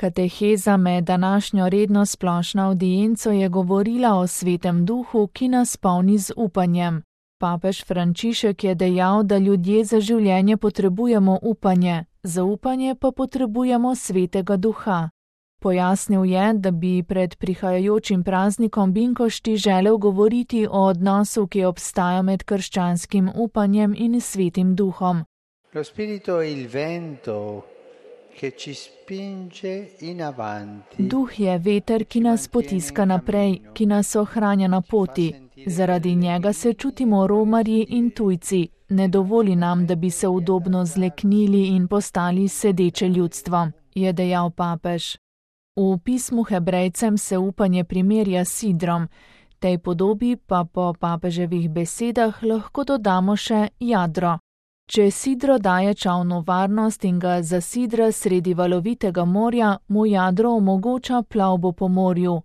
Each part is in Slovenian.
Kateheza med današnjo redno splošno avdienco je govorila o Svetem Duhu, ki nas polni z upanjem. Papež Frančišek je dejal, da ljudje za življenje potrebujemo upanje, za upanje pa potrebujemo Svetega Duha. Pojasnil je, da bi pred prihajajočim praznikom Binkošti želel govoriti o odnosu, ki obstaja med krščanskim upanjem in Svetim Duhom. Lo spirito è il vento che ci spinge in avanti. Duh je veter, ki nas potiska naprej, ki nas ohranja na poti. Zaradi njega se čutimo romarji in tujci. Ne dovoli nam, da bi se udobno zleknili in postali sedeče ljudstvo, je dejal papež. V pismu Hebrejcem se upanje primerja s sidrom, tej podobi pa po papeževih besedah lahko dodamo še jadro. Če sidro daje čavnu varnost in ga zasidra sredi valovitega morja, mu jadro omogoča plavbo po morju.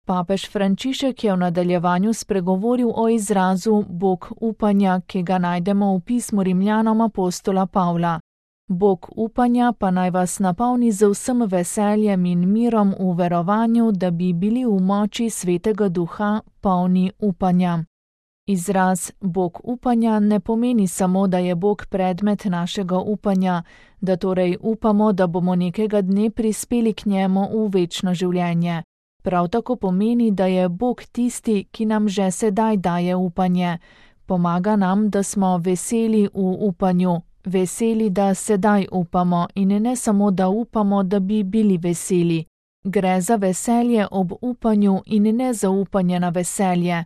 Papež Frančišek je v nadaljevanju spregovoril o izrazu Bog upanja, ki ga najdemo v pismu Rimljanom apostola Pavla. Bog upanja pa naj vas napolni z vsem veseljem in mirom v verovanju, da bi bili v moči Svetega Duha polni upanja. Izraz Bog upanja ne pomeni samo, da je Bog predmet našega upanja, da torej upamo, da bomo nekega dne prispeli k njemu v večno življenje. Prav tako pomeni, da je Bog tisti, ki nam že sedaj daje upanje. Pomaga nam, da smo veseli v upanju, veseli, da sedaj upamo in ne samo, da upamo, da bi bili veseli. Gre za veselje ob upanju in ne za upanje na veselje.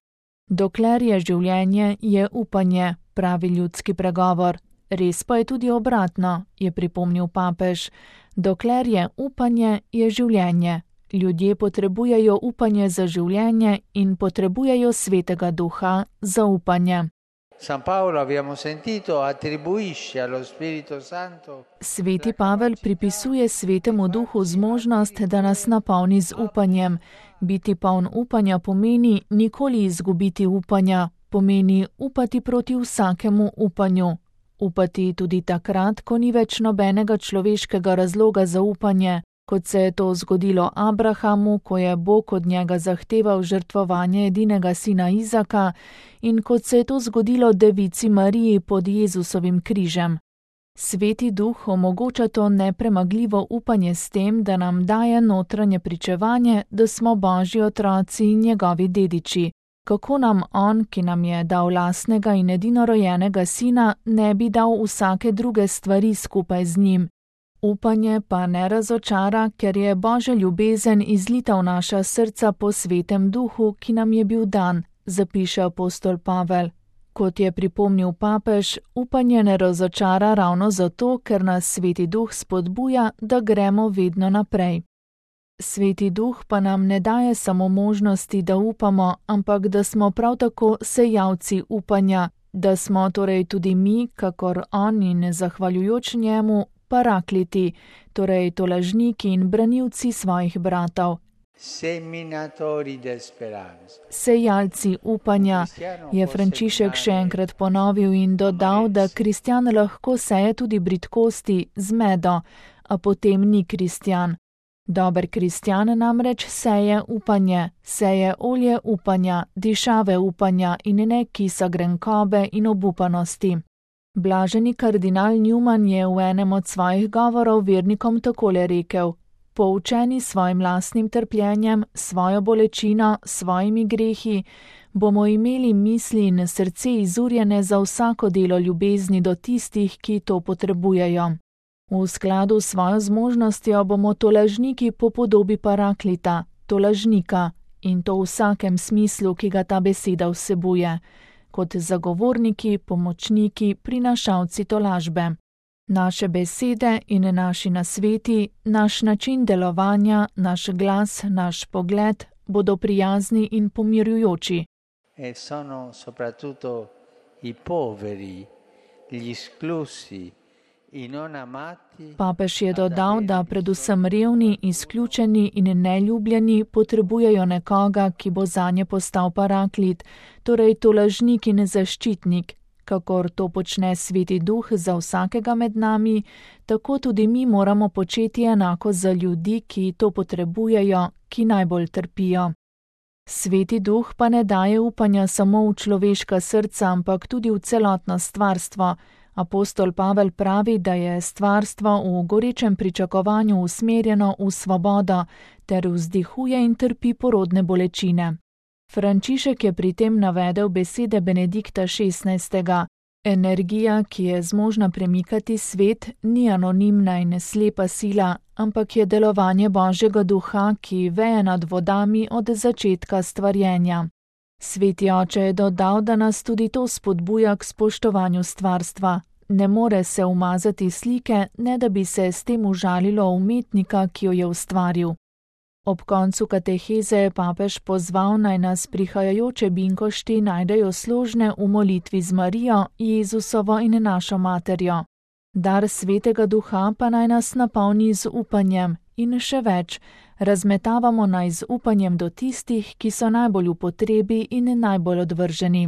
Dokler je življenje, je upanje, pravi ljudski pregovor. Res pa je tudi obratno, je pripomnil papež. Dokler je upanje, je življenje. Ljudje potrebujejo upanje za življenje in potrebujejo Svetega Duha za upanje. San Paolo, abbiamo sentito, attribuisce allo Spirito Santo. Sveti Pavel pripisuje Svetemu Duhu zmožnost, da nas napolni z upanjem. Biti poln upanja pomeni nikoli izgubiti upanja, pomeni upati proti vsakemu upanju. Upati tudi takrat, ko ni več nobenega človeškega razloga za upanje, kot se je to zgodilo Abrahamu, ko je Bog od njega zahteval žrtvovanje edinega sina Izaka, in kot se je to zgodilo devici Mariji pod Jezusovim križem. Sveti Duh omogoča to nepremagljivo upanje s tem, da nam daje notranje pričevanje, da smo Božji otroci in njegovi dediči. Kako nam on, ki nam je dal lastnega in edinorojenega sina, ne bi dal vsake druge stvari skupaj z njim? Upanje pa ne razočara, ker je Božja ljubezen izlita v naša srca po Svetem Duhu, ki nam je bil dan, zapiše apostol Pavel. Kot je pripomnil papež, upanje ne razočara ravno zato, ker nas Sveti Duh spodbuja, da gremo vedno naprej. Sveti Duh pa nam ne daje samo možnosti, da upamo, ampak da smo prav tako sejalci upanja, da smo torej tudi mi, kakor on in zahvaljujoč njemu, parakliti, torej tolažniki in branilci svojih bratov. Seminatori de speranza. Sejalci upanja, je Frančišek še enkrat ponovil in dodal, da kristjan lahko seje tudi bridkosti, zmedo, a potem ni kristjan. Dober kristjan namreč seje upanje, seje olje upanja, dišave upanja in ne kisa grenkobe in obupanosti. Blaženi kardinal Newman je v enem od svojih govorov vernikom takole rekel: poučeni svojim lastnim trpljenjem, svojo bolečino, svojimi grehi, bomo imeli misli in srce izurjene za vsako delo ljubezni do tistih, ki to potrebujejo. V skladu s svojo zmožnostjo bomo tolažniki po podobi paraklita, tolažnika, in to v vsakem smislu, ki ga ta beseda vsebuje, kot zagovorniki, pomočniki, prinašalci tolažbe. Naše besede in naši nasveti, naš način delovanja, naš glas, naš pogled bodo prijazni in pomirjujoči. E sono soprattutto i poveri, gli esclusi, i non amati. Papež je dodal, da predvsem revni, izključeni in neljubljeni potrebujejo nekoga, ki bo zanje postal paraklit, torej tolažnik in zaščitnik, Kakor to počne Sveti Duh za vsakega med nami, tako tudi mi moramo početi enako za ljudi, ki to potrebujejo, ki najbolj trpijo. Sveti Duh pa ne daje upanja samo v človeška srca, ampak tudi v celotno stvarstvo. Apostol Pavel pravi, da je stvarstvo v gorečem pričakovanju usmerjeno v svobodo ter vzdihuje in trpi porodne bolečine. Frančišek je pri tem navedel besede Benedikta XVI. Energija, ki je zmožna premikati svet, ni anonimna in slepa sila, ampak je delovanje Božjega Duha, ki veje nad vodami od začetka stvarjenja. Sveti oče je dodal, da nas tudi to spodbuja k spoštovanju stvarstva. Ne more se umazati slike, ne da bi se s tem užalilo umetnika, ki jo je ustvaril. Ob koncu kateheze je papež pozval, naj nas prihajajoče binkošti najdejo složne v molitvi z Marijo, Jezusovo in našo materjo. Dar Svetega Duha pa naj nas napolni z upanjem in še več, razmetavamo naj z upanjem do tistih, ki so najbolj v potrebi in najbolj odvrženi.